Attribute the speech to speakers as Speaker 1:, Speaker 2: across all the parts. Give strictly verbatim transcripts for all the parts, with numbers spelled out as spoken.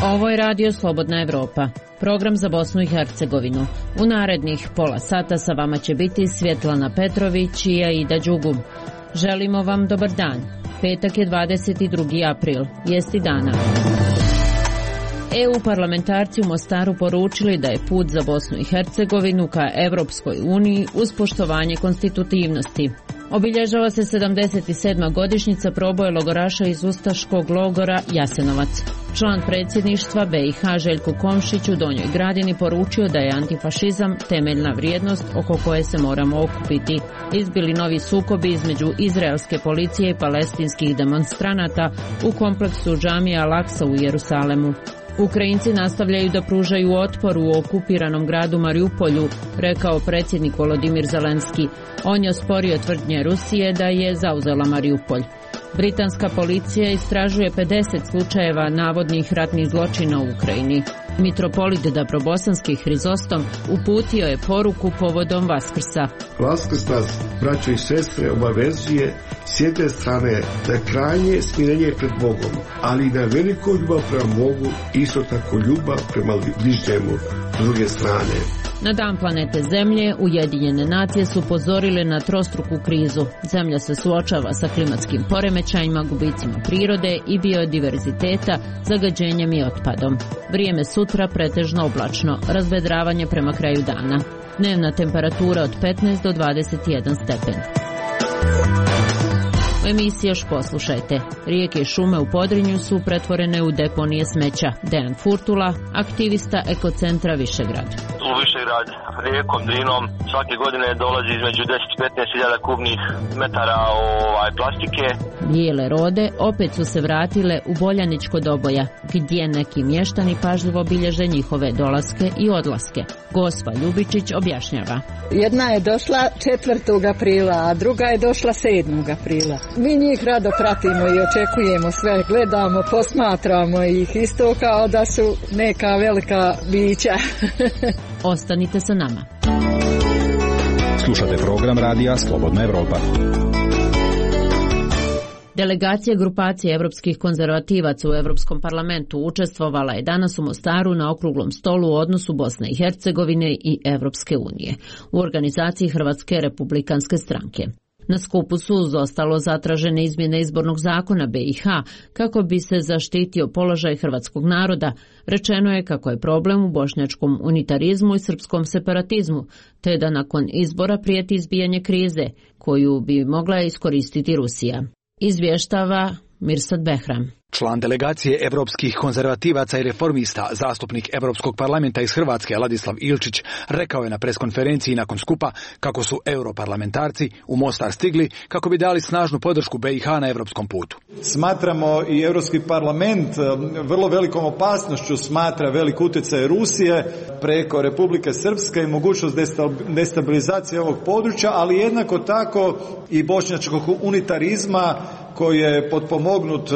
Speaker 1: Ovo je Radio Slobodna Evropa, program za Bosnu i Hercegovinu. U narednih pola sata sa vama će biti Svjetlana Petrović i Aida Đugum. Želimo vam dobar dan. Petak je dvadeset drugi april, vijesti dana. E U parlamentarci u Mostaru poručili da je put za Bosnu i Hercegovinu ka Evropskoj uniji uz poštovanje konstitutivnosti. Obilježava se sedamdeset sedma godišnjica proboja logoraša iz ustaškog logora Jasenovac. Član predsjedništva B i H Željko Komšić u Donjoj Gradini poručio da je antifašizam temeljna vrijednost oko koje se moramo okupiti. Izbili novi sukobi između izraelske policije i palestinskih demonstranata u kompleksu džamija Al-Aksa u Jerusalemu. Ukrajinci nastavljaju da pružaju otpor u okupiranom gradu Mariupolju, rekao predsjednik Volodimir Zelenski. On je osporio tvrdnje Rusije da je zauzela Mariupolj. Britanska policija istražuje pedeset slučajeva navodnih ratnih zločina u Ukrajini. Mitropolit Dabrobosanski Hrizostom uputio je poruku povodom Vaskrsa.
Speaker 2: Vaskrs nas, braćo i sestre, obavezuje s jedne strane na krajnje smirenje pred Bogom, ali i na veliko ljubav prema Bogu, isto tako ljubav prema bližnjemu s druge strane.
Speaker 1: Na dan planete Zemlje Ujedinjene nacije su upozorile na trostruku krizu. Zemlja se suočava sa klimatskim poremećajima, gubicima prirode i biodiverziteta, zagađenjem i otpadom. Vrijeme sutra pretežno oblačno, razvedravanje prema kraju dana. Dnevna temperatura od petnaest do dvadeset jedan stepen. U emisiji još poslušajte. Rijeke i šume u Podrinju su pretvorene u deponije smeća. Dejan Furtula, aktivista Ekocentra Višegrad.
Speaker 3: U Višegrad rijekom Drinom svake godine dolazi između deset do petnaest hiljada kubnih metara ovaj, plastike.
Speaker 1: Bijele rode opet su se vratile u Boljaničko Doboja, gdje neki mještani pažljivo bilježe njihove dolaske i odlaske. Gospa Ljubičić objašnjava.
Speaker 4: Jedna je došla četvrtog aprila, a druga je došla sedmog aprila. Mi njih rado pratimo i očekujemo sve, gledamo, posmatramo ih isto kao da su neka velika bića.
Speaker 1: Ostanite sa nama.
Speaker 5: Slušate program Radija Slobodna Evropa.
Speaker 1: Delegacija grupacije evropskih konzervativaca u Europskom parlamentu učestvovala je danas u Mostaru na okruglom stolu u odnosu Bosne i Hercegovine i Evropske unije u organizaciji Hrvatske republikanske stranke. Na skupu su uz ostalo zatražene izmjene izbornog zakona B i H kako bi se zaštitio položaj hrvatskog naroda. Rečeno je kako je problem u bošnjačkom unitarizmu i srpskom separatizmu, te da nakon izbora prijeti izbijanje krize koju bi mogla iskoristiti Rusija. Izvještava Mirsad Behram.
Speaker 5: Član delegacije evropskih konzervativaca i reformista, zastupnik Europskog parlamenta iz Hrvatske Ladislav Ilčić, rekao je na preskonferenciji nakon skupa kako su europarlamentarci u Mostar stigli kako bi dali snažnu podršku B i H na europskom putu.
Speaker 6: Smatramo i Europski parlament vrlo velikom opasnošću smatra velik utjecaj Rusije preko Republike Srpske i mogućnost destabilizacije ovog područja, ali jednako tako i bošnjačkog unitarizma koji je potpomognut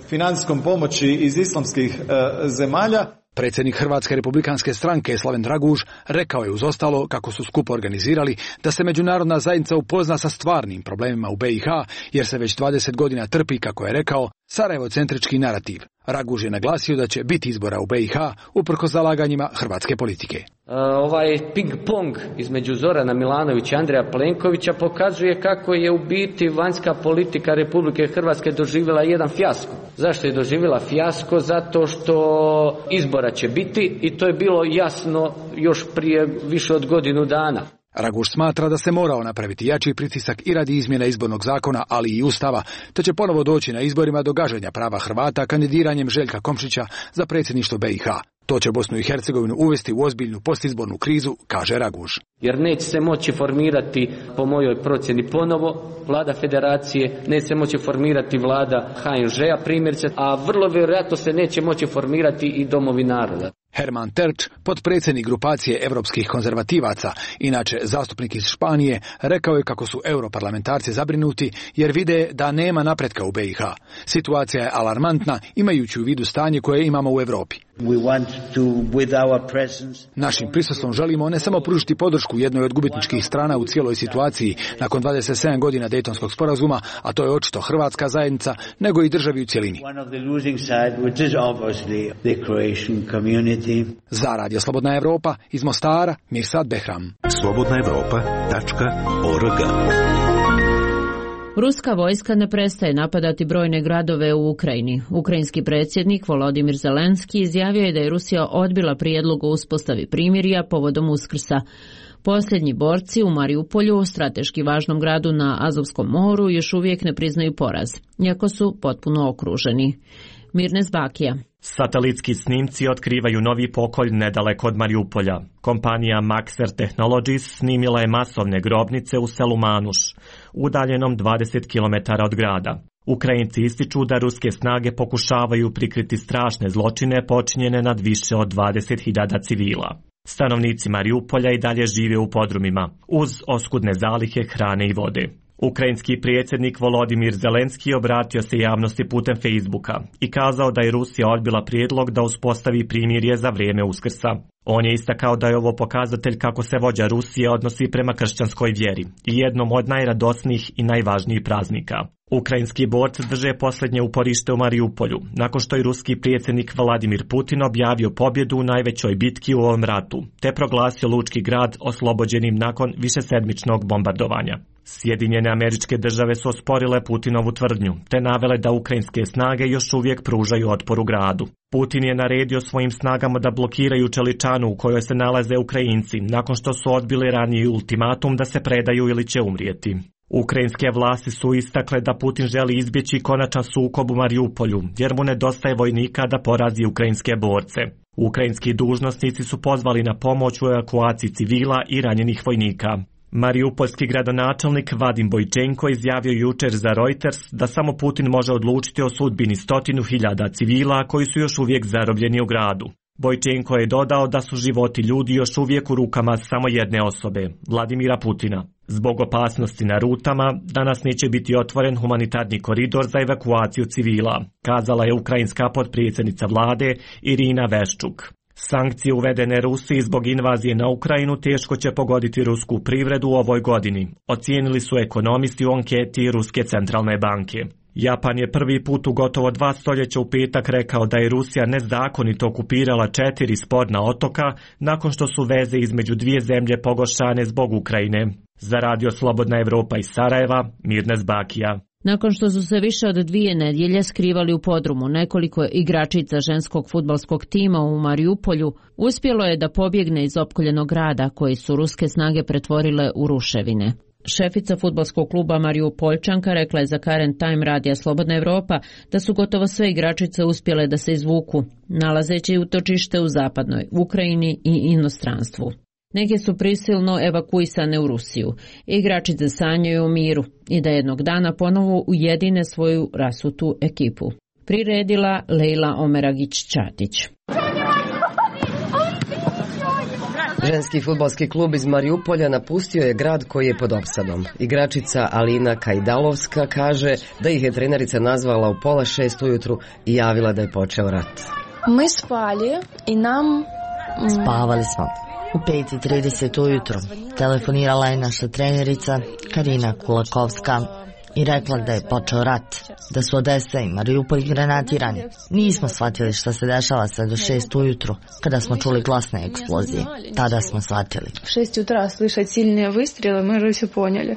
Speaker 6: financijskom pomoći iz islamskih e, zemalja.
Speaker 5: Predsjednik Hrvatske republikanske stranke Slaven Draguž rekao je uz ostalo kako su skup organizirali da se međunarodna zajednica upozna sa stvarnim problemima u B i H, jer se već dvadeset godina trpi, kako je rekao, Sarajevo-centrički narativ. Raguž je naglasio da će biti izbora u B i H uprkos zalaganjima hrvatske politike.
Speaker 7: Ovaj ping-pong između Zorana Milanovića i Andreja Plenkovića pokazuje kako je u biti vanjska politika Republike Hrvatske doživjela jedan fijasko. Zašto je doživjela fijasko? Zato što izbora će biti i to je bilo jasno još prije više od godinu dana.
Speaker 5: Raguž smatra da se morao napraviti jači pritisak i radi izmjena izbornog zakona, ali i ustava, te će ponovo doći na izborima do gaženja prava Hrvata kandidiranjem Željka Komšića za predsjedništvo B i H. To će Bosnu i Hercegovinu uvesti u ozbiljnu postizbornu krizu, kaže Raguž.
Speaker 7: Jer neće se moći formirati, po mojoj procjeni ponovo, vlada federacije, neće se moći formirati vlada H N Ž-a primjerice, a vrlo vjerojatno se neće moći formirati i domovi naroda.
Speaker 5: Herman Terč, potpredsjednik grupacije europskih konzervativaca, inače zastupnik iz Španije, rekao je kako su europarlamentarci zabrinuti jer vide da nema napretka u B i H. Situacija je alarmantna imajući u vidu stanje koje imamo u Europi. Našim prisustvom želimo ne samo pružiti podršku jednoj od gubitničkih strana u cijeloj situaciji nakon dvadeset sedam godina Dejtonskog sporazuma, a to je očito hrvatska zajednica, nego i državi u cjelini. Za Radio Slobodna Evropa iz Mostara, Mirsad Behram.
Speaker 8: slobodna evropa tačka org.
Speaker 1: Ruska vojska ne prestaje napadati brojne gradove u Ukrajini. Ukrajinski predsjednik Volodimir Zelenski izjavio je da je Rusija odbila prijedlog o uspostavi primirja povodom Uskrsa. Posljednji borci u Mariupolju, strateški važnom gradu na Azovskom moru, još uvijek ne priznaju poraz, iako su potpuno okruženi. Mirnes Bakija.
Speaker 9: Satelitski snimci otkrivaju novi pokolj nedaleko od Mariupolja. Kompanija Maxar Technologies snimila je masovne grobnice u selu Manuš, udaljenom dvadeset kilometara od grada. Ukrajinci ističu da ruske snage pokušavaju prikriti strašne zločine počinjene nad više od dvadeset hiljada civila. Stanovnici Mariupolja i dalje žive u podrumima, uz oskudne zalihe hrane i vode. Ukrajinski predsjednik Volodimir Zelenski obratio se javnosti putem Facebooka i kazao da je Rusija odbila prijedlog da uspostavi primirje za vrijeme Uskrsa. On je istakao da je ovo pokazatelj kako se vođa Rusije odnosi prema kršćanskoj vjeri i jednom od najradosnijih i najvažnijih praznika. Ukrajinski borci drže posljednje uporište u Mariupolju, nakon što je ruski predsjednik Vladimir Putin objavio pobjedu u najvećoj bitki u ovom ratu, te proglasio lučki grad oslobođenim nakon višesedmičnog bombardovanja. Sjedinjene Američke Države su osporile Putinovu tvrdnju, te navele da ukrajinske snage još uvijek pružaju otpor u gradu. Putin je naredio svojim snagama da blokiraju čeličanu u kojoj se nalaze Ukrajinci, nakon što su odbili raniji ultimatum da se predaju ili će umrijeti. Ukrajinske vlasti su istakle da Putin želi izbjeći konačan sukob u Mariupolju, jer mu nedostaje vojnika da porazi ukrajinske borce. Ukrajinski dužnosnici su pozvali na pomoć u evakuaciji civila i ranjenih vojnika. Mariupolski gradonačelnik Vadim Bojčenko izjavio jučer za Reuters da samo Putin može odlučiti o sudbini stotinu hiljada civila koji su još uvijek zarobljeni u gradu. Bojčenko je dodao da su životi ljudi još uvijek u rukama samo jedne osobe, Vladimira Putina. Zbog opasnosti na rutama, danas neće biti otvoren humanitarni koridor za evakuaciju civila, kazala je ukrajinska potpredsjednica vlade Irina Veščuk. Sankcije uvedene Rusiji zbog invazije na Ukrajinu teško će pogoditi rusku privredu u ovoj godini, ocijenili su ekonomisti u anketi Ruske centralne banke. Japan je prvi put u gotovo dva stoljeća u petak rekao da je Rusija nezakonito okupirala četiri sporna otoka nakon što su veze između dvije zemlje pogoršane zbog Ukrajine. Za Radio Slobodna Evropa iz Sarajeva, Mirnes Bakija.
Speaker 1: Nakon što su se više od dvije nedjelje skrivali u podrumu nekoliko igračica ženskog fudbalskog tima u Mariupolju, uspjelo je da pobjegne iz opkoljenog grada koji su ruske snage pretvorile u ruševine. Šefica fudbalskog kluba Mariupoljčanka rekla je za Current Time radija Slobodna Evropa da su gotovo sve igračice uspjele da se izvuku, nalazeći utočište u zapadnoj Ukrajini i inostranstvu. Neke su prisilno evakuisane u Rusiju. Igračice sanjaju o miru i da jednog dana ponovo ujedine svoju rasutu ekipu. Priredila Lejla Omeragić-Čatić.
Speaker 10: Ženski fudbalski klub iz Mariupolja napustio je grad koji je pod opsadom. Igračica Alina Kajdalovska kaže da ih je trenerica nazvala u pola šest ujutru i javila da je počeo rat.
Speaker 11: Mi spali i nam...
Speaker 12: Spavali smo. U pet i trideset ujutro telefonirala je naša trenerica Karina Kulakovska i rekla da je počeo rat, da su Odesa i Mariupolj granatirani. Nismo shvatili šta se dešava sve do šest ujutru, kada smo čuli glasne eksplozije. Tada smo shvatili.
Speaker 11: šest jutra slišati silnije vystrele, mi же все poняли.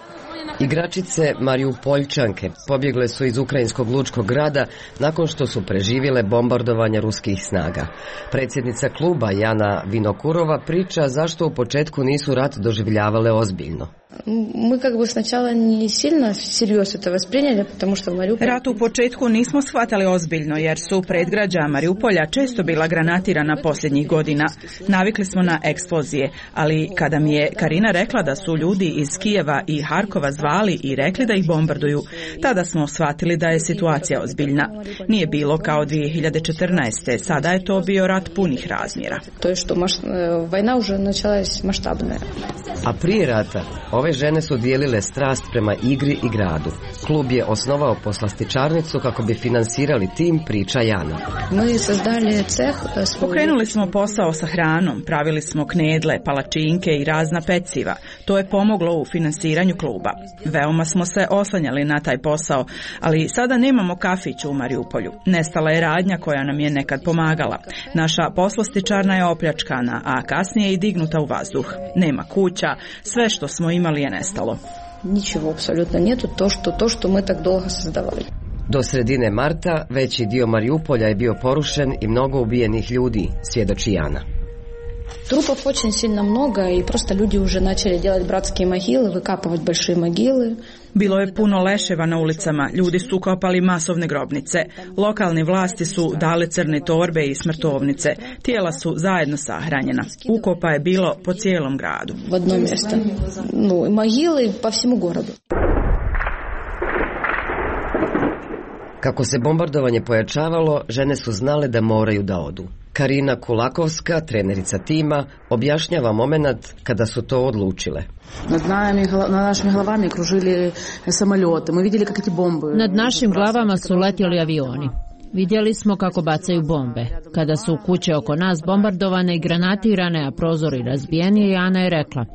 Speaker 10: Igračice Mariupoljčanke pobjegle su iz ukrajinskog lučkog grada nakon što su preživjele bombardovanja ruskih snaga. Predsjednica kluba Jana Vinokurova priča zašto u početku nisu rat doživljavale ozbiljno.
Speaker 11: Мы как бы сначала не сильно всерьез это восприняли, потому что в Мариуполе...
Speaker 13: Rat u početku nismo shvatali ozbiljno, jer su predgrađa Mariupolja često bila granatirana posljednjih godina. Navikli smo na eksplozije, ali kada mi je Karina rekla da su ljudi iz Kijeva i Harkova zvali i rekli da ih bombarduju, tada smo shvatili da je situacija ozbiljna. Nije bilo kao dvije hiljade četrnaeste. Sada je to bio rat punih razmjera.
Speaker 11: To je što maš... vojna už načalась maštabna.
Speaker 10: A prije rata ove žene su dijelile strast prema igri i gradu. Klub je osnovao poslastičarnicu kako bi finansirali tim, priča Jana.
Speaker 13: Pokrenuli smo posao sa hranom, pravili smo knedle, palačinke i razna peciva. To je pomoglo u finansiranju kluba. Veoma smo se oslanjali na taj posao, ali sada nemamo kafić u Mariupolju. Nestala je radnja koja nam je nekad pomagala. Naša poslastičarna je opljačkana, a kasnije i dignuta u vazduh. Nema kuća, sve što smo imali je nestalo.
Speaker 11: Ničego apsolutno nijetu, to što, to što mi tak dolgo sazdavali.
Speaker 10: Do sredine marta veći dio Mariupolja je bio porušen i mnogo ubijenih ljudi, svjedoči Jana.
Speaker 11: Трупов очень сильно много, и просто люди уже начали делать братские могилы, выкапывать большие могилы.
Speaker 13: Bilo je puno leševa na ulicama, ljudi su kopali masovne grobnice. Lokalne vlasti su dali crne torbe i smrtovnice. Tijela su zajedno sahranjena. Ukopa je bilo po cijelom gradu.
Speaker 11: В одно место. Ну, могилы по всему городу.
Speaker 10: Kako se bombardovanje pojačavalo, žene su znale da moraju da odu. Karina Kulakovska, trenerica tima, objašnjava momenat kada su to odlučile.
Speaker 14: Nad našim glavama kružili samoljote. Mi vidjeli kako ti bombe.
Speaker 1: Nad našim glavama su letjeli avioni. Vidjeli smo kako bacaju bombe. Kada su kuće oko nas bombardovane i granatirane, a prozori razbijeni, Ana je rekla: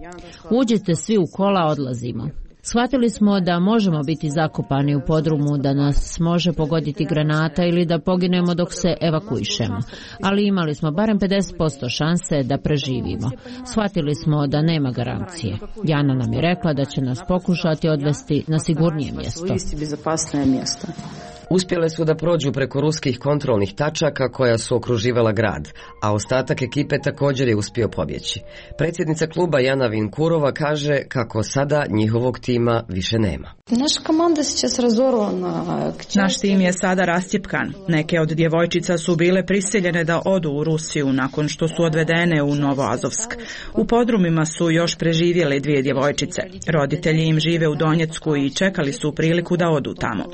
Speaker 1: uđite svi u kola, odlazimo. Shvatili smo da možemo biti zakopani u podrumu, da nas može pogoditi granata ili da poginemo dok se evakuišemo. Ali imali smo barem pedeset posto šanse da preživimo. Shvatili smo da nema garancije. Jana nam je rekla da će nas pokušati odvesti na sigurnije mjesto.
Speaker 10: Uspjele su da prođu preko ruskih kontrolnih tačaka koja su okruživala grad, a ostatak ekipe također je uspio pobjeći. Predsjednica kluba Jana Vinkurova kaže kako sada njihovog tima više nema.
Speaker 11: Naša komanda сейчас razorvana.
Speaker 13: Naš tim je sada rascjepkan. Neke od djevojčica su bile prisiljene da odu u Rusiju nakon što su odvedene u Novoazovsk. U podrumima su još preživjele dvije djevojčice. Roditelji im žive u Donjecku i čekali su priliku da odu tamo.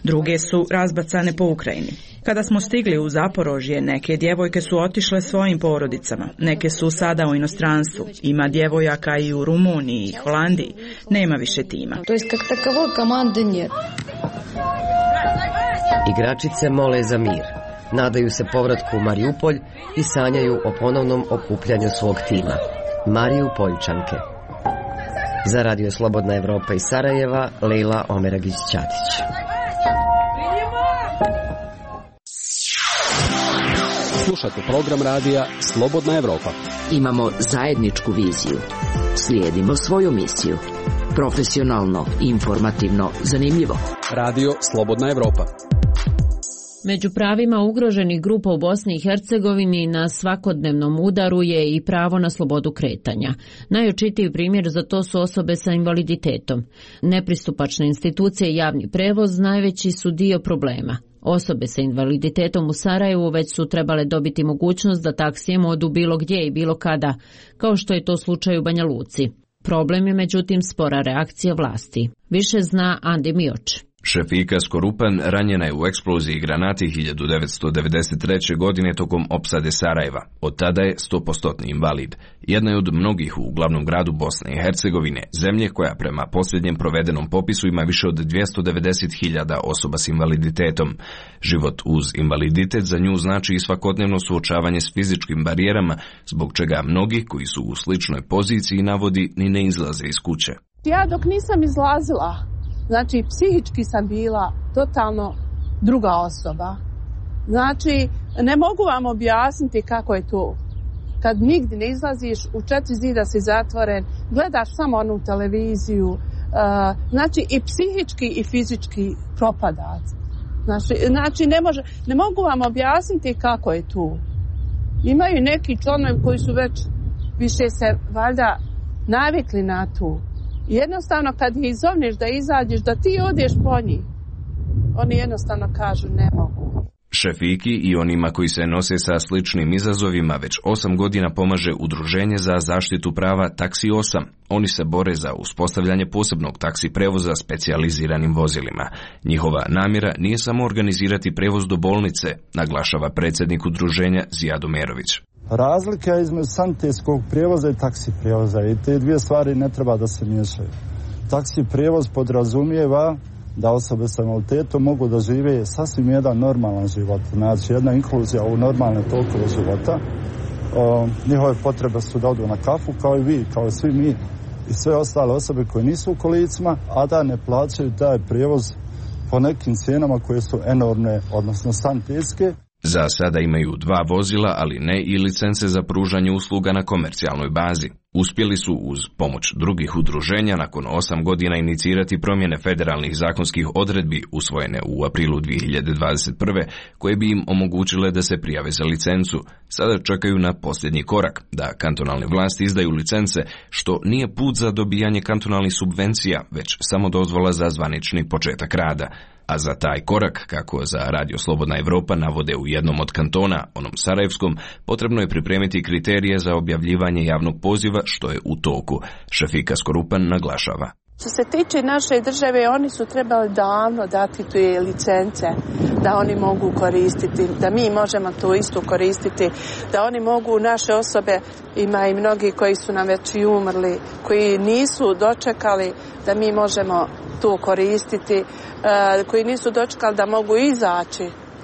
Speaker 13: Druge su razbacane po Ukrajini. Kada smo stigli u Zaporožje, neke djevojke su otišle svojim porodicama. Neke su sada u inostranstvu. Ima djevojaka i u Rumuniji i Holandiji. Nema više tima.
Speaker 11: To jest kak takovoj komande nije.
Speaker 10: Igračice mole za mir. Nadaju se povratku u Mariupolj i sanjaju o ponovnom okupljanju svog tima. Mariupoljčanke. Za Radio Slobodna Evropa iz Sarajeva, Lejla Omeragić-Ćatić.
Speaker 15: Slušate program radija Slobodna Evropa.
Speaker 16: Imamo zajedničku viziju. Slijedimo svoju misiju. Profesionalno, informativno, zanimljivo.
Speaker 15: Radio Slobodna Evropa.
Speaker 1: Među pravima ugroženih grupa u Bosni i Hercegovini na svakodnevnom udaru je i pravo na slobodu kretanja. Najočitiji primjer za to su osobe sa invaliditetom. Nepristupačne institucije i javni prevoz najveći su dio problema. Osobe sa invaliditetom u Sarajevu već su trebale dobiti mogućnost da taksijem odu bilo gdje i bilo kada, kao što je to slučaj u Banja Luci. Problem je međutim spora reakcija vlasti. Više zna Andi Mioč.
Speaker 17: Šefika Skorupan ranjena je u eksploziji granati hiljadu devetsto devedeset treće. godine tokom opsade Sarajeva. Od tada je sto posto invalid. Jedna je od mnogih u glavnom gradu Bosne i Hercegovine, zemlje koja prema posljednjem provedenom popisu ima više od dvjesto devedeset hiljada osoba s invaliditetom. Život uz invaliditet za nju znači i svakodnevno suočavanje s fizičkim barijerama, zbog čega mnogi koji su u sličnoj poziciji navodi ni ne izlaze iz kuće.
Speaker 18: Ja dok nisam izlazila, znači, psihički sam bila totalno druga osoba. Znači, ne mogu vam objasniti kako je to. Kad nigdje ne izlaziš, u četiri zida si zatvoren, gledaš samo onu televiziju, uh, znači i psihički i fizički propadac. Znači, znači ne, može, ne mogu vam objasniti kako je to. Imaju neki članovi koji su već više se valjda navikli na to. I jednostavno kad ih izovniš da izađeš, da ti odeš po njih, oni jednostavno kažu ne mogu.
Speaker 17: Šefiki i onima koji se nose sa sličnim izazovima već osam godina pomaže Udruženje za zaštitu prava Taksi osam. Oni se bore za uspostavljanje posebnog taksi prevoza specijaliziranim vozilima. Njihova namjera nije samo organizirati prevoz do bolnice, naglašava predsjednik udruženja Zijad Omerović.
Speaker 19: Razlika između sanitetskog prijevoza i taksi prijevoza i te dvije stvari ne treba da se miješaju. Taksi prijevoz podrazumijeva da osobe sa invaliditetom mogu da žive sasvim jedan normalan život, znači jedna inkluzija u normalne tokove života. O, njihove potrebe su da odu na kafu kao i vi, kao i svi mi i sve ostale osobe koje nisu u kolicima, a da ne plaćaju taj prijevoz po nekim cijenama koje su enormne, odnosno sanitetske.
Speaker 17: Za sada imaju dva vozila, ali ne i licence za pružanje usluga na komercijalnoj bazi. Uspjeli su uz pomoć drugih udruženja nakon osam godina inicirati promjene federalnih zakonskih odredbi usvojene u aprilu dvije hiljade dvadeset prve koje bi im omogućile da se prijave za licencu. Sada čekaju na posljednji korak, da kantonalne vlasti izdaju licence, što nije put za dobijanje kantonalnih subvencija, već samo dozvola za zvanični početak rada. A za taj korak, kako za Radio Slobodna Evropa navode u jednom od kantona, onom Sarajevskom, potrebno je pripremiti kriterije za objavljivanje javnog poziva, što je u toku. Šefika Skorupan naglašava.
Speaker 18: Što se tiče naše države, oni su trebali davno dati te licence, da oni mogu koristiti, da mi možemo to isto koristiti, da oni mogu, naše osobe, ima i mnogi koji su nam već i umrli, koji nisu dočekali da mi možemo to koristiti, koji nisu dočekali da mogu izaći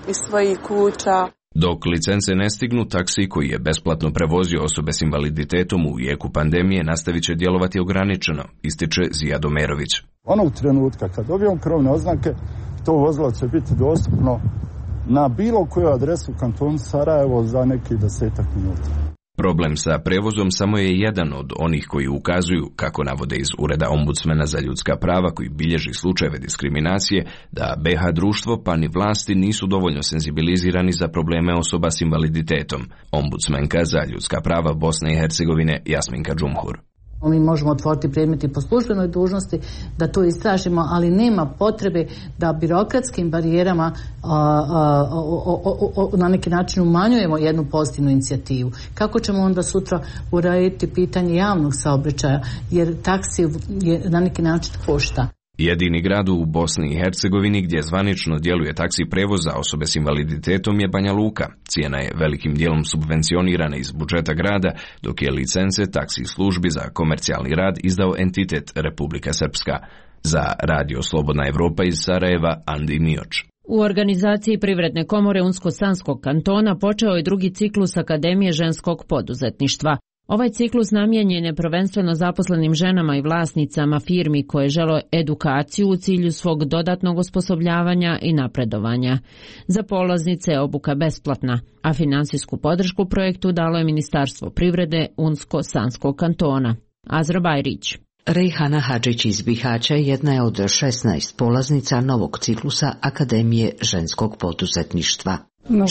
Speaker 18: iz svojih kuća.
Speaker 17: Dok licence ne stignu, taksi koji je besplatno prevozio osobe s invaliditetom u jeku pandemije nastavit će djelovati ograničeno, ističe Zijad Omerović.
Speaker 19: Onog trenutka kad dobijemo krovne oznake, to vozilo će biti dostupno na bilo koju adresu u kantonu Sarajevo za nekih desetak minuta.
Speaker 17: Problem sa prevozom samo je jedan od onih koji ukazuju, kako navode iz Ureda ombudsmana za ljudska prava koji bilježi slučajeve diskriminacije, da be ha društvo pa ni vlasti nisu dovoljno senzibilizirani za probleme osoba s invaliditetom. Ombudsmenka za ljudska prava Bosne i Hercegovine Jasminka Džumhur.
Speaker 20: Mi možemo otvoriti predmeti po službenoj dužnosti da to istražimo, ali nema potrebe da birokratskim barijerama a, a, o, o, o, na neki način umanjujemo jednu pozitivnu inicijativu. Kako ćemo onda sutra urediti pitanje javnog saobraćaja, jer taksi je na neki način košta.
Speaker 17: Jedini grad u Bosni i Hercegovini gdje zvanično djeluje taksi prevoz za osobe s invaliditetom je Banja Luka. Cijena je velikim dijelom subvencionirana iz budžeta grada, dok je licence taksi službi za komercijalni rad izdao entitet Republika Srpska. Za Radio Slobodna Evropa iz Sarajeva, Andi Mioč.
Speaker 1: U organizaciji Privredne komore Unsko-Sanskog kantona počeo je drugi ciklus Akademije ženskog poduzetništva. Ovaj ciklus namijenjen je prvenstveno zaposlenim ženama i vlasnicama firmi koje žele edukaciju u cilju svog dodatnog osposobljavanja i napredovanja. Za polaznice je obuka besplatna, a finansijsku podršku projektu dalo je Ministarstvo privrede Unsko-Sanskog kantona. Azra Bajrić.
Speaker 16: Rejhana Hadžić iz Bihaća jedna je od šesnaest polaznica novog ciklusa Akademije ženskog poduzetništva.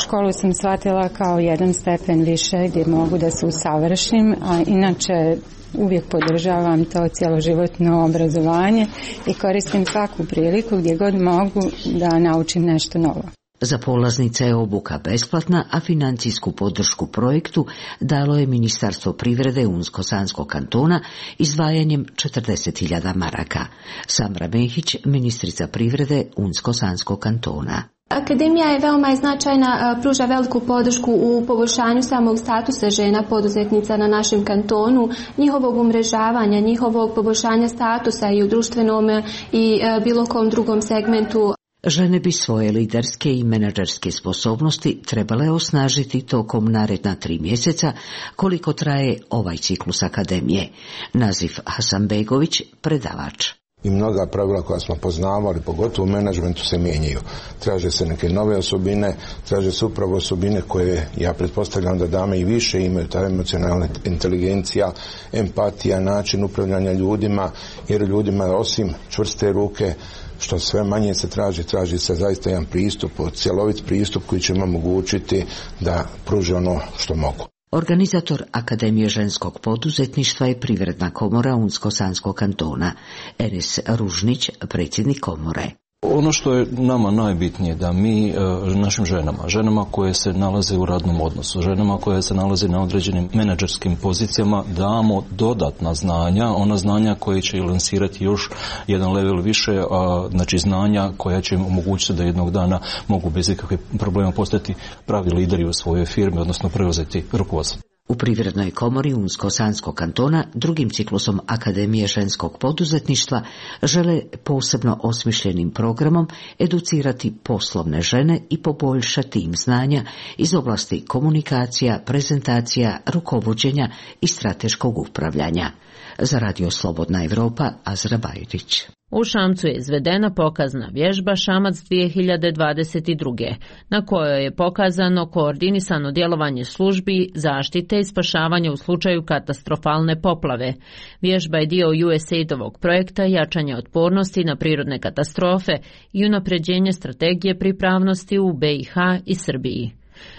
Speaker 21: Školu sam shvatila kao jedan stepen više gdje mogu da se usavršim, a inače uvijek podržavam to cjeloživotno obrazovanje i koristim svaku priliku gdje god mogu da naučim nešto novo.
Speaker 16: Za polaznice je obuka besplatna, a financijsku podršku projektu dalo je Ministarstvo privrede Unsko-Sanskog kantona izdvajanjem četrdeset hiljada maraka. Samra Mehić, ministrica privrede Unsko-Sanskog kantona.
Speaker 22: Akademija je veoma značajna, pruža veliku podršku u poboljšanju samog statusa žena poduzetnica na našem kantonu, njihovog umrežavanja, njihovog poboljšanja statusa i u društvenom i bilo kom drugom segmentu.
Speaker 16: Žene bi svoje liderske i menadžerske sposobnosti trebale osnažiti tokom naredna tri mjeseca koliko traje ovaj ciklus akademije. Nazif Hasanbegović, predavač.
Speaker 23: I mnoga pravila koja smo poznavali, pogotovo u menadžmentu, se mijenjaju. Traže se neke nove osobine, traže se upravo osobine koje, ja pretpostavljam da dame i više imaju, ta emocionalna inteligencija, empatija, način upravljanja ljudima, jer ljudima osim čvrste ruke, što sve manje se traži, traži se zaista jedan pristup, cjelovit pristup koji će im omogućiti da pruže ono što mogu.
Speaker 16: Organizator Akademije ženskog poduzetništva je Privredna komora Unsko-Sanskog kantona. Enes Ružnić, predsjednik komore.
Speaker 2: Ono što je nama najbitnije da mi našim ženama, ženama koje se nalaze u radnom odnosu, ženama koje se nalaze na određenim menadžerskim pozicijama damo dodatna znanja, ona znanja koje će lansirati još jedan level više, a, znači znanja koja će im omogućiti da jednog dana mogu bez ikakvih problema postati pravi lideri u svojoj firmi, odnosno preuzeti rukovodstvo.
Speaker 16: U Privrednoj komori Unsko-Sanskog kantona drugim ciklusom Akademije ženskog poduzetništva žele posebno osmišljenim programom educirati poslovne žene i poboljšati im znanja iz oblasti komunikacija, prezentacija, rukovođenja i strateškog upravljanja. Za Radio Slobodna Evropa, Azra Bajrić.
Speaker 1: U Šamcu je izvedena pokazna vježba Šamac dvije hiljade dvadeset druge. na kojoj je pokazano koordinisano djelovanje službi zaštite i spašavanja u slučaju katastrofalne poplave. Vježba je dio U S A I D-ovog projekta jačanja otpornosti na prirodne katastrofe i unapređenje strategije pripravnosti u B i H i Srbiji.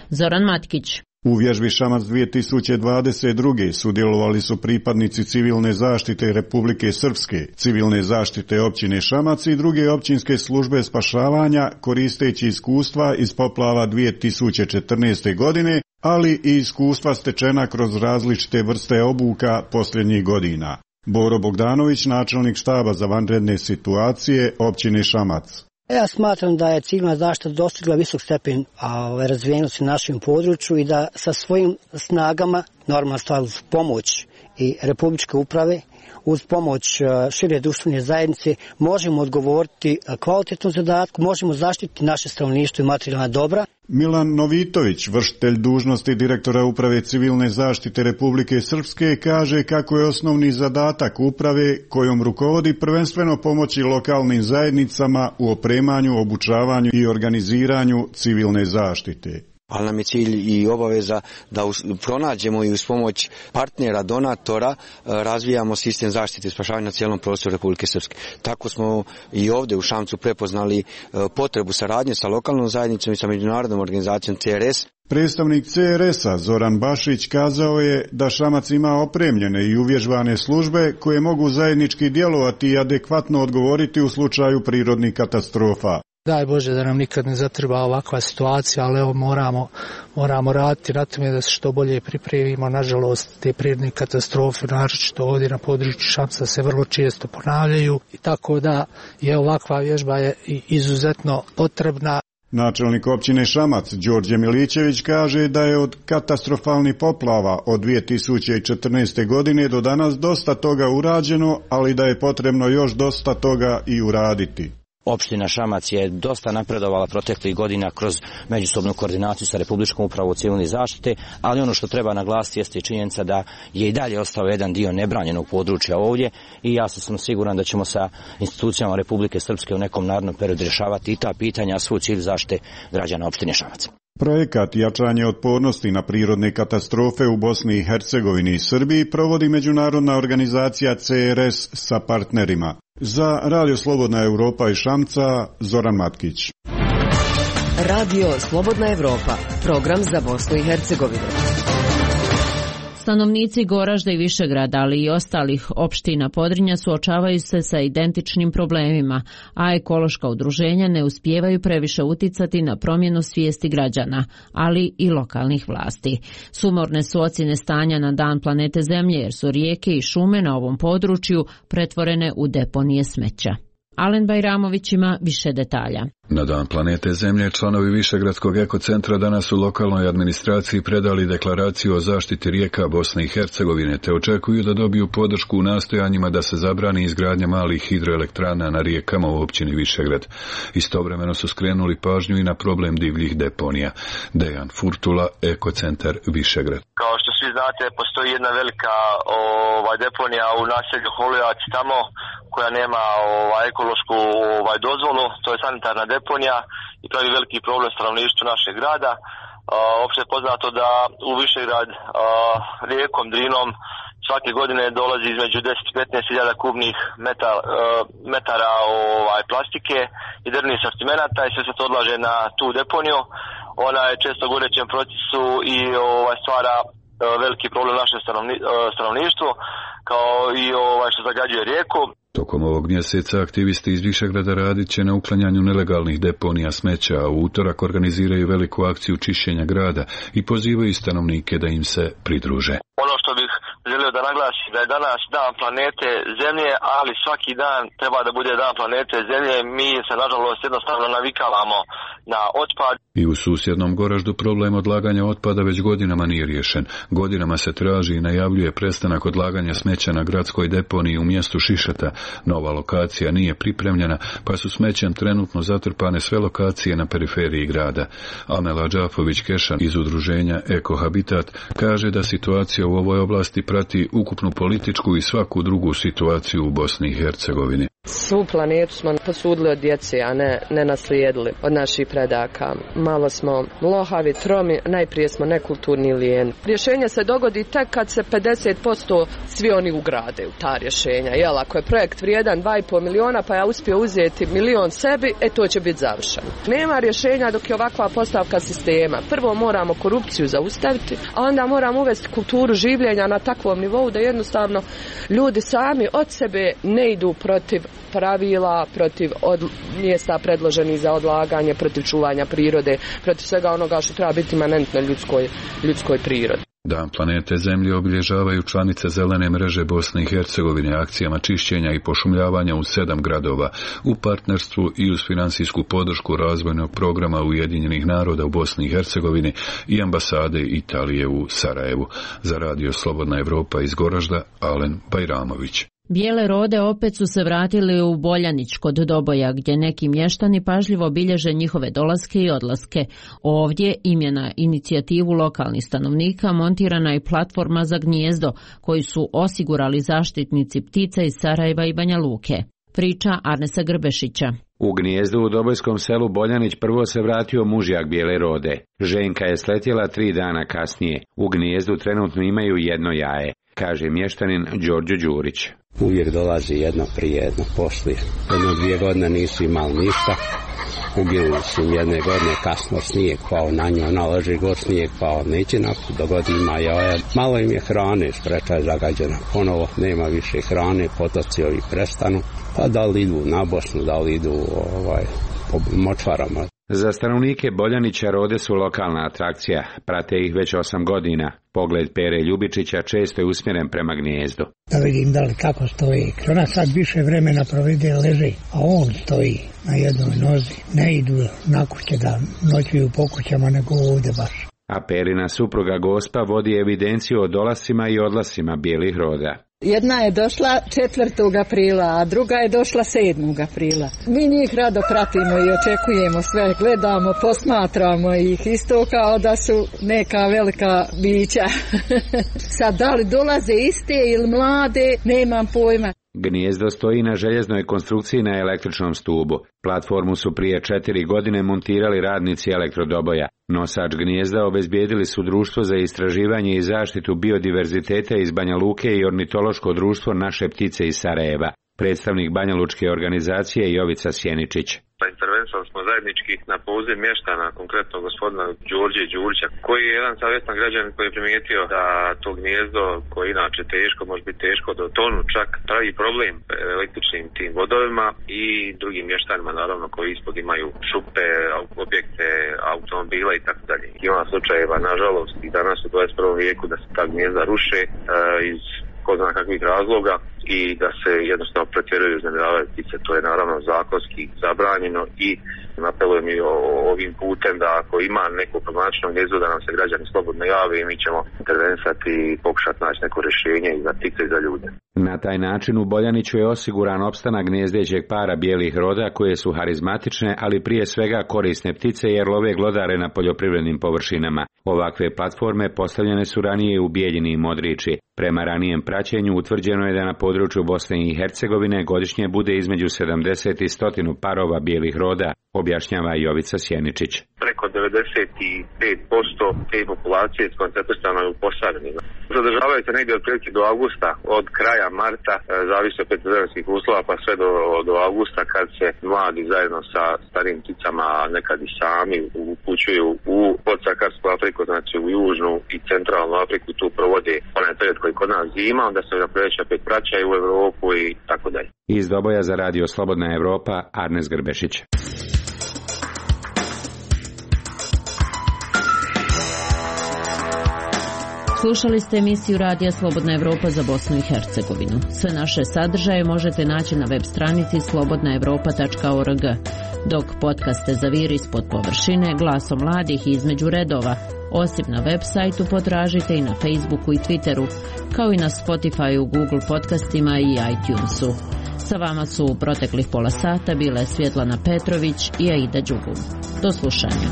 Speaker 1: Zoran Matkić.
Speaker 3: U vježbi Šamac dvije tisuće dvadeset druge sudjelovali su pripadnici civilne zaštite Republike Srpske, civilne zaštite općine Šamac i druge općinske službe spašavanja koristeći iskustva iz poplava dvije tisuće četrnaeste. godine, ali i iskustva stečena kroz različite vrste obuka posljednjih godina. Boro Bogdanović, načelnik štaba za vanredne situacije općine Šamac.
Speaker 4: Ja smatram da je civilna zaštita dostigla visok stepen razvijenosti u našem području i da sa svojim snagama, normalna stvar uz pomoć i Republičke uprave, uz pomoć šire društvene zajednice, možemo odgovoriti kvalitetnom zadatku, možemo zaštiti naše stanovništvo i materijalna dobra.
Speaker 3: Milan Novitović, vršitelj dužnosti direktora Uprave civilne zaštite Republike Srpske, kaže kako je osnovni zadatak uprave kojom rukovodi prvenstveno pomoći lokalnim zajednicama u opremanju, obučavanju i organiziranju civilne zaštite.
Speaker 24: Ali nam je cilj i obaveza da pronađemo i uz pomoć partnera, donatora razvijamo sistem zaštite i spašavanja na cijelom prostoru Republike Srpske. Tako smo i ovdje u Šamcu prepoznali potrebu saradnje sa lokalnom zajednicom i sa međunarodnom organizacijom C R S.
Speaker 3: Predstavnik C R S-a Zoran Bašić kazao je da Šamac ima opremljene i uvježbane službe koje mogu zajednički djelovati i adekvatno odgovoriti u slučaju prirodnih katastrofa.
Speaker 25: Daj Bože da nam nikad ne zatreba ovakva situacija, ali evo moramo, moramo raditi na tome da se što bolje pripremimo. Nažalost, te prirodne katastrofe, naročito ovdje na području Šamca, se vrlo često ponavljaju i tako da je ovakva vježba je izuzetno potrebna.
Speaker 3: Načelnik općine Šamac Đorđe Milićević kaže da je od katastrofalnih poplava od dvije tisuće četrnaeste. godine do danas dosta toga urađeno, ali da je potrebno još dosta toga i uraditi.
Speaker 26: Opština Šamac je dosta napredovala proteklih godina kroz međusobnu koordinaciju sa Republičkom upravom civilne zaštite, ali ono što treba naglasiti jeste činjenica da je i dalje ostao jedan dio nebranjenog područja ovdje i ja sam siguran da ćemo sa institucijama Republike Srpske u nekom narednom periodu rješavati i ta pitanja, svoj cilj zaštite građana opštine Šamac.
Speaker 3: Projekat jačanje otpornosti na prirodne katastrofe u Bosni i Hercegovini i Srbiji provodi međunarodna organizacija C R S sa partnerima. Za Radio Slobodna Evropa i Šamca, Zoran Matkić.
Speaker 10: Radio Slobodna Evropa, program za Bosnu i Hercegovinu.
Speaker 1: Stanovnici Goražda i Višegrada, ali i ostalih opština Podrinja suočavaju se sa identičnim problemima, a ekološka udruženja ne uspijevaju previše uticati na promjenu svijesti građana, ali i lokalnih vlasti. Sumorne su ocjene stanja na dan planete Zemlje, jer su rijeke i šume na ovom području pretvorene u deponije smeća. Alen Bajramović ima više detalja.
Speaker 27: Na dan planete Zemlje članovi Višegradskog ekocentra danas u lokalnoj administraciji predali deklaraciju o zaštiti rijeka Bosne i Hercegovine te očekuju da dobiju podršku u nastojanjima da se zabrani izgradnja malih hidroelektrana na rijekama u općini Višegrad. Istovremeno su skrenuli pažnju i na problem divljih deponija. Dejan Furtula, ekocentar Višegrad.
Speaker 28: Kao što svi znate, postoji jedna velika ovaj, deponija u naselju Holujac tamo koja nema ovaj, ekološku ovaj, dozvolu, to je sanitarna deponija i pravi veliki problem stanovništvu našeg grada. Opšte je poznato da u Višegrad rijekom Drinom svake godine dolazi između deset do petnaest hiljada kubnih metar, metara ovaj, plastike i drvnih sortimenata i sve se to odlaže na tu deponiju. Ona je često u gorećem procesu i ovaj, stvara veliki problem naše stanovni, stanovništvo, kao i ovaj što zagađuje rijeku.
Speaker 27: Tokom ovog mjeseca aktivisti iz Višegrada radit će na uklanjanju nelegalnih deponija smeća, a u utorak organiziraju veliku akciju čišćenja grada i pozivaju stanovnike da im se pridruže.
Speaker 28: Ono što bih želio da naglasim da je danas dan planete Zemlje, ali svaki dan treba da bude dan planete Zemlje. Mi se nažalost jednostavno navikavamo na otpad.
Speaker 27: I u susjednom Goraždu problem odlaganja otpada već godinama nije riješen. Godinama se traži i najavljuje prestanak odlaganja smeća na gradskoj deponiji u mjestu Šišata. Nova lokacija nije pripremljena, pa su smećem trenutno zatrpane sve lokacije na periferiji grada. Amela Đafović-Kešan iz udruženja Eko Habitat kaže da situacija u ovoj oblasti prati ukupnu političku i svaku drugu situaciju u Bosni i Hercegovini.
Speaker 5: Svu planetu smo posudili od djece, a ne, ne naslijedili od naših predaka. Malo smo lohavi, tromi, najprije smo nekulturni i lijeni. Rješenje se dogodi tek kad se pedeset posto svi oni ugrade u ta rješenja. Jel, ako je projekt vrijedan dva i pol miliona, pa ja uspio uzeti milion sebi, e to će biti završeno. Nema rješenja dok je ovakva postavka sistema. Prvo moramo korupciju zaustaviti, a onda moramo uvesti kulturu življenja na takvom nivou da jednostavno ljudi sami od sebe ne idu protiv pravila, protiv od, mjesta predloženih za odlaganje, protiv čuvanja prirode, protiv svega onoga što treba biti imanentno ljudskoj, ljudskoj prirodi.
Speaker 27: Dan planete Zemlje obilježavaju članice Zelene mreže Bosne i Hercegovine akcijama čišćenja i pošumljavanja u sedam gradova u partnerstvu i uz financijsku podršku razvojnog programa Ujedinjenih naroda u Bosni i Hercegovini i ambasade Italije u Sarajevu. Za radio Slobodna Evropa iz Goražda, Alen Bajramović.
Speaker 1: Bijele rode opet su se vratili u Boljanić kod Doboja, gdje neki mještani pažljivo bilježe njihove dolaske i odlaske. Ovdje im na inicijativu lokalnih stanovnika montirana je platforma za gnijezdo, koju su osigurali zaštitnici ptica iz Sarajeva i Banja Luke. Priča Arnesa Grbešića.
Speaker 6: U gnijezdu u Dobojskom selu Boljanić prvo se vratio mužjak bijele rode. Ženka je sletjela tri dana kasnije. U gnijezdu trenutno imaju jedno jaje, kaže mještanin Đorđo Đurić.
Speaker 7: Uvijek dolazi jedno prije, jedno poslije. Jedno dvije godine nisu imali ništa. Uginuli su jedne godine kasno snijeg pao na nju, ona leži god snijeg pao, neće naput, dogodi ima jaja. Malo im je hrane, spreča je zagađena. Ponovo nema više hrane, potoci ovi prestanu. Pa da li idu na Bosnu, da li idu ovaj, po močvarama.
Speaker 6: Za stanovnike Boljanića rode su lokalna atrakcija, prate ih već osam godina. Pogled Pere Ljubičića često je usmjeren prema gnijezdu.
Speaker 8: Da vidim da li kako stoji. Ona sad više vremena provede leži, a on stoji na jednoj nozi. Ne idu na kuće da noćuju po kućama, nego ovdje baš.
Speaker 6: A Perina supruga Gospa vodi evidenciju o dolascima i odlasima bijelih roda.
Speaker 9: Jedna je došla četvrtog aprila, a druga je došla sedmog aprila. Mi njih rado pratimo i očekujemo sve, gledamo, posmatramo ih isto kao da su neka velika bića. Sad da li dolaze iste ili mlade, nemam pojma.
Speaker 6: Gnijezdo stoji na željeznoj konstrukciji na električnom stubu. Platformu su prije četiri godine montirali radnici Elektrodoboja. Nosač gnijezda obezbijedili su Društvo za istraživanje i zaštitu biodiverziteta iz Banja Luke i Ornitološko društvo Naše ptice iz Sarajeva. Predstavnik banjalučke organizacije Jovica Sjeničić.
Speaker 28: Intervenisali smo zajednički na poziv mještana, konkretno gospodina Đorđe Đurića, koji je jedan savjestan građanin koji je primijetio da to gnijezdo, koje je inače teško, može biti teško do tonu, čak pravi problem električnim tim vodovima i drugim mještanima, naravno, koji ispod imaju šupe, objekte, automobila i tako dalje. Ima slučajeva, nažalost, i danas u dvadeset prvom vijeku da se ta gnijezda ruše uh, iz ko zna kakvih razloga i da se jednostavno pretjeruju uznemiravaju ptice. To je naravno zakonski zabranjeno i apelujem i ovim putem da ako ima neko problematično gnijezdo da nam se građani slobodno jave i mi ćemo intervenisati i pokušati naći neko rješenje i za ptice i za ljude.
Speaker 6: Na taj način u Boljaniću je osiguran opstanak gnjezdećeg para bijelih roda koje su harizmatične, ali prije svega korisne ptice jer love glodare na poljoprivrednim površinama. Ovakve platforme postavljene su ranije u Bijeljini i Modriči. Prema ranijem praćenju utvrđeno je da na području Bosne i Hercegovine godišnje bude između sedamdeset i sto parova bijelih roda, objašnjava Jovica Sjeničić.
Speaker 28: Preko
Speaker 11: devedeset pet posto te populacije skoncentrisano je u Posavini. Zadržavaju se negdje otprilike do avgusta, od kraja marta, zavisi od vremenskih uslova, pa sve do, do avgusta kad se mladi zajedno sa starim pticama, nekad i sami upućuju u podsahararsku Afriku, znači u južnu i centralnu Afriku, tu provode onaj period koji kod nas zima, onda se na proljeće opet vraćaju u Europu i tako dalje.
Speaker 6: Iz Doboja za radio Slobodna Evropa, Arnes Grbešić.
Speaker 1: Slušali ste emisiju Radija Slobodna Evropa za Bosnu i Hercegovinu. Sve naše sadržaje možete naći na web stranici slobodna evropa tačka org, dok podcaste za vir ispod površine, glasom mladih i između redova, osim na web sajtu potražite i na Facebooku i Twitteru, kao i na Spotifyu, Google podcastima i iTunesu. Sa vama su u proteklih pola sata bile Svjetlana Petrović i Aida Đugum. Do slušanja.